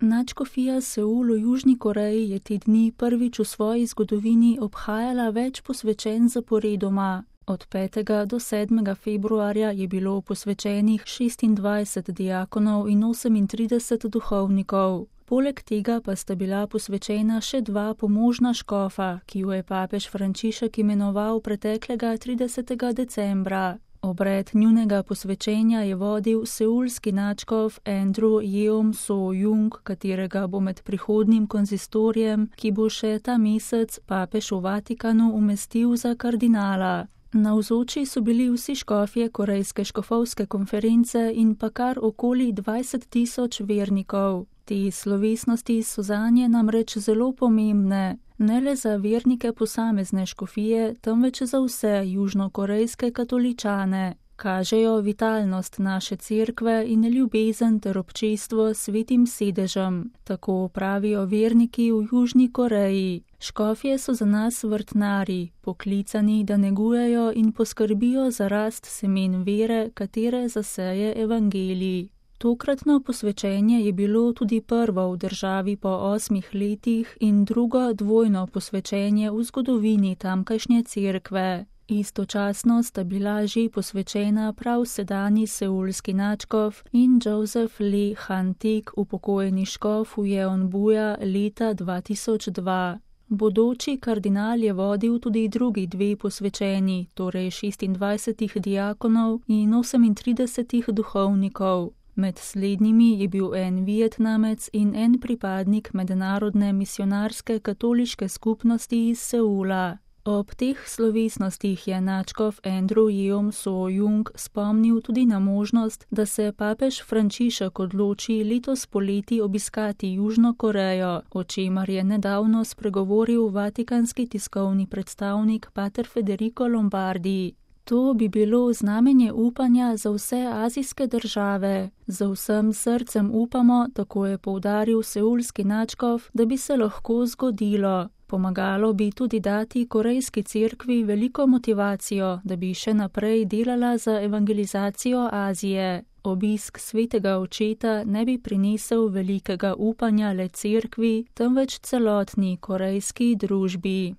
Nadškofija Seul v Južni Koreji je te dni prvič v svoji zgodovini obhajala več posvečenj zaporedoma. Od 5. do 7. februarja je bilo posvečenih 26 diakonov in 38 duhovnikov. Poleg tega pa sta bila posvečena še 2 pomožna škofa, ki ju je papež Frančišek imenoval preteklega 30. decembra. Obred njunega posvečenja je vodil seulski nadškof Andrew Yeom So-jung, katerega bo med prihodnjim konzistorijem, ki bo še ta mesec, papež v Vatikanu umestil za kardinala. Navzoči so bili vsi škofje Korejske škofovske konference in pa kar okoli 20.000 vernikov. Te slovesnosti so zanje namreč zelo pomembne, ne le za vernike posamezne škofije, temveč za vse južnokorejske katoličane. Kažejo vitalnost naše cerkve in ljubezen ter občestvo s svetim sedežem, tako pravijo verniki v Južni Koreji. Škofje so za nas vrtnari, poklicani, da negujejo in poskrbijo za rast semen vere, katere zaseje evangelij. Tokratno posvečenje je bilo tudi prvo v državi po 8 letih in drugo dvojno posvečenje v zgodovini tamkajšnje cerkve. Istočasno sta bila že posvečena prav sedanji seulski nadškof in Joseph Lee Han-tik, upokojeni škof v Jeonbuja leta 2002. Bodoči kardinal je vodil tudi drugi 2 posvečeni, torej 26 diakonov in 38 duhovnikov. Med slednjimi je bil en Vietnamec in en pripadnik mednarodne misionarske katoliške skupnosti iz Seula. Ob teh slovesnostih je nadškof Andrew Yeom So-jung spomnil tudi na možnost, da se papež Frančišek odloči letos poleti obiskati Južno Korejo, o čemer je nedavno spregovoril vatikanski tiskovni predstavnik pater Federico Lombardi. To bi bilo znamenje upanja za vse azijske države. Z vsem srcem upamo, tako je poudaril seulski nadškof, da bi se lahko zgodilo. Pomagalo bi tudi dati korejski cerkvi veliko motivacijo, da bi še naprej delala za evangelizacijo Azije. Obisk svetega očeta ne bi prinesel velikega upanja le cerkvi, temveč celotni korejski družbi.